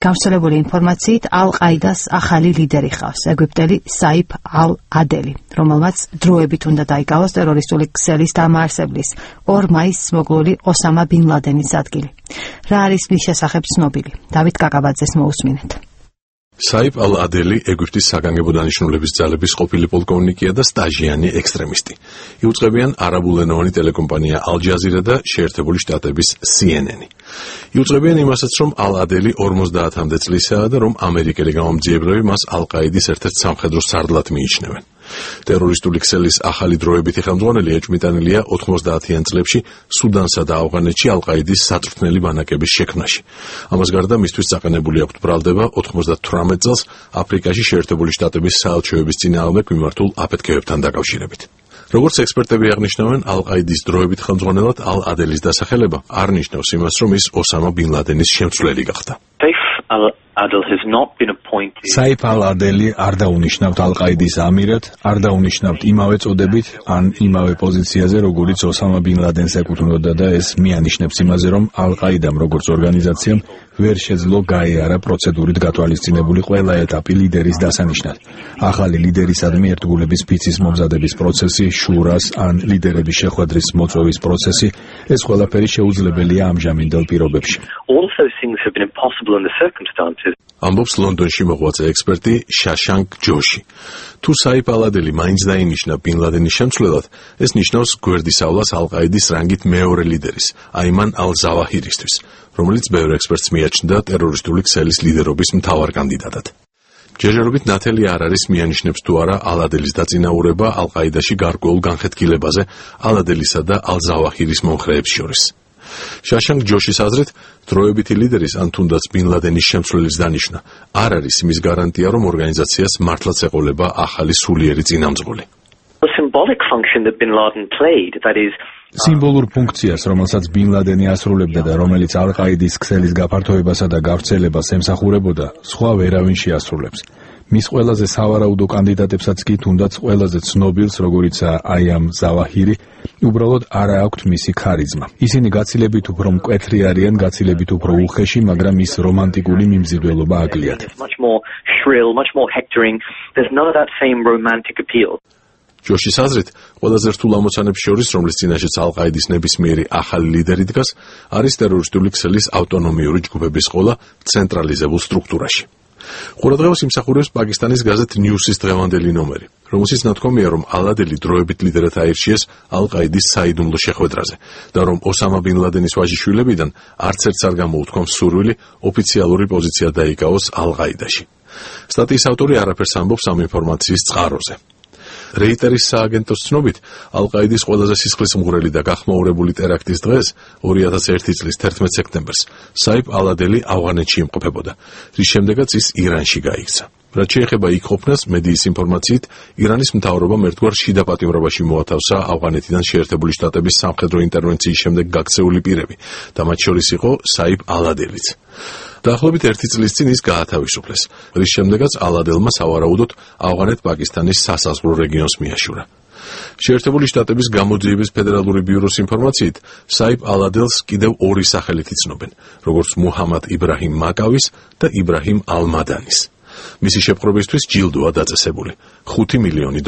გავრცელებული ინფორმაციით ალ-ყაიდას ახალი ლიდერი ხავს, ეგვიპტელი საიფ ალ-ადელი, რომელმაც დროებით უნდა დაიკავოს ტერორისტული ქსელის დამაარსებლის 2 მაისს მოკლული ოსამა ბინ ლადენის ადგილი. რა არის მის შესახებ ცნობილი? დავით კაკაბაძეს მოусმინეთ. საიფ ალ-ადელი ეგვიპტის საგანგებო დანიშნულების ძალების ყოფილი პოლკოვნიკია და სტაჟიანი ექსტრემისტი. იუწყებიან არაბულენოვანი ტელეკომპანია ალ-ჯაზირა და შეერთებული შტატების CNN. იუწყებიან იმასაც, რომ ალ-ადელი 50-მდე წლისაა და რომ ამერიკელი გამომძიებლები მას ალ-ყაიდის ერთ-ერთ სამხედრო სარდლად მიიჩნევენ. ტერორისტული ქსელის ახალი დროებითი ხელმძღვანელი ეჭვმიტანილია 90-იან წლებში სუდანსა და ავღანეთში ალ-ყაიდის საწვრთნელი ბანაკების შექმნაში. ამას გარდა მისთვის წაყენებული აქვთ ბრალდება 98 წელს აფრიკაში შეერთებული შტატების საელჩოების წინააღმდეგ მიმართულ აფეთქებებთან დაკავშირებით. როგორც ექსპერტები აღნიშნავენ, ალ-ყაიდის დროებით ხელმძღვანელად ალ-ადელის დასახელება არ ნიშნავს იმას, რომ ის ოსამა ბინ ლადენის შემცვლელი გახდა. საიფ ალ-ადელი არ დაუნიშნავთ ალ-ყაიდის ამირად, არ დაუნიშნავთ იმავე წოდებით ან იმავე პოზიციაზე, როგორიც ოსამა ბინ ლადენს ეკუთვნოდა და ეს მიანიშნებს იმაზე, რომ ალ-ყაიდამ როგორც ორგანიზაციამ ვერ შეძლო გაეარა პროცედურით გათვალისწინებული ყველა ეტაპი ლიდერის დასანიშნად. ახალი ლიდერისადმი ერთგულების ფიცის მომზადების პროცესი, შურას ან ლიდერების შეხვედრის მოწვევის პროცესი, ეს ყველაფერი შეუძლებელია ამჟამინდელ პირობებში. ამბობს ლონდონში მოღვაწე ექსპერტი შაშანკ ჯოში. თუ საიფ ალ-ადელი მაინც დაინიშნა ბინ ლადენის შემცვლელად, ეს ნიშნავს გვერდისავლას ალ-ყაიდის რანგით მეორე ლიდერის, აიმან ალ-ზავაჰირისთვის, რომელიც ბევრ ექსპერტს მიაჩნდა ტერორისტული ქსელის ლიდერობის მთავარ კანდიდატად. ჯერჯერობით ნათელი არ არის მიანიშნებს თუ არა ალ-ადელის დაწინაურება ალ-ყაიდაში გარკვეულ განხეთქილებაზე ალ-ადელისა და ალ-ზავაჰირის მომხრეებს შორის. შაშანკ ჯოშის აზრით, დროებითი ლიდერის ან თუნდაც ბინ ლადენის შემცვლელის დანიშვნა არ არის იმის გარანტია, რომ ორგანიზაციას მართლაც ეყოლება ახალი სულიერი წინამძღოლი. სიმბოლურ ფუნქციას, რომელსაც ბინ ლადენი ასრულებდა და რომელიც ალ-ყაიდის ქსელის გაფართოებასა და გავრცელებას ემსახურებოდა, სხვა ვერავინ შეასრულებს. მის ყველაზე სავარაუდო კანდიდატებსაც კი თუნდაც ყველაზე ცნობილს, როგორიცაა აიმან ზავაჰირი, უბრალოდ არა აქვთ მისი ქარიზმა. ისინი გაცილებით უფრო მკვეთრი არიან, გაცილებით უფრო უხეში, მაგრამ ის რომანტიკული მიმზიდველობა აკლიათ. ჯოშის აზრით, ყველაზე რთულ ამოცანებს შორის, რომლის წინაშეც ალ-ყაიდის ნებისმიერი ახალი ლიდერი დგას, არის ტერორისტული ქსელის ავტონომიური ჯგუფების ყოლა ცენტრალიზებულ სტრუქტურაში. ყურადღებას იმსახურებს პაკისტანის გაზეთ ნიუსის დღევანდელი ნომერი, რომელშიც ნათქვამია, რომ ალ-ადელი დროებით ლიდერად აირჩიეს ალ-ყაიდის საიდუმლო შეხვედრაზე და რომ ოსამა ბინ ლადენის ვაჟიშვილებიდან არც ერთს არ გამოუთქვამს სურვილი ოფიციალური პოზიცია დაიკავოს ალ-ყაიდაში. სტატიის ავტორი არაფერს ამბობს ამ ინფორმაციის წყაროზე. რეიტერის სააგენტოს ცნობით, ალ-ყაიდის ყველაზე სისხლისმღვრელი და გახმაურებული ტერაქტის დღეს, 2001 წლის 11 სექტემბერს, საიფ ალ-ადელი ავღანეთში იმყოფებოდა, რის შემდეგაც ის ირანში გაიქცა. რაც შეეხება იქ ყოფნას, მედიის ინფორმაციით, ირანის მთავრობამ ერთგვარ შიდა პატიმრობაში მოათავსა ავღანეთიდან შეერთებული შტატების სამხედრო ინტერვენციის შემდეგ გაქცეული პირები და მათ შორის იყო საიფ ალ-ადელიც. დაახლოებით 1 წლის წინ ის გაათავისუფლეს, რის შემდეგაც ალ-ადელმა სავარაუდოდ ავღანეთ-პაკისტანის სასაზღვრო რეგიონს მიაშურა. შეერთებული შტატების გამოძიების ფედერალური ბიუროს ინფორმაციით, საიფ ალ-ადელს კიდევ 2 სახელით იცნობენ, როგორც მუჰამად იბრაჰიმ მაკავის და იბრაჰიმ ალ-მადანის. მისი შეპყრობისთვის ჯილდოა დაწესებული $5 მილიონი.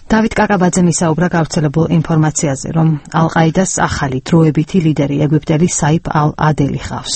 დავით კაკაბაძე მისაუბრა გავრცელებულ ინფორმაციაზე, რომ ალ-ყაიდას ახალი დროებითი ლიდერი ეგვიპტელი საიფ ალ-ადელი ხავს.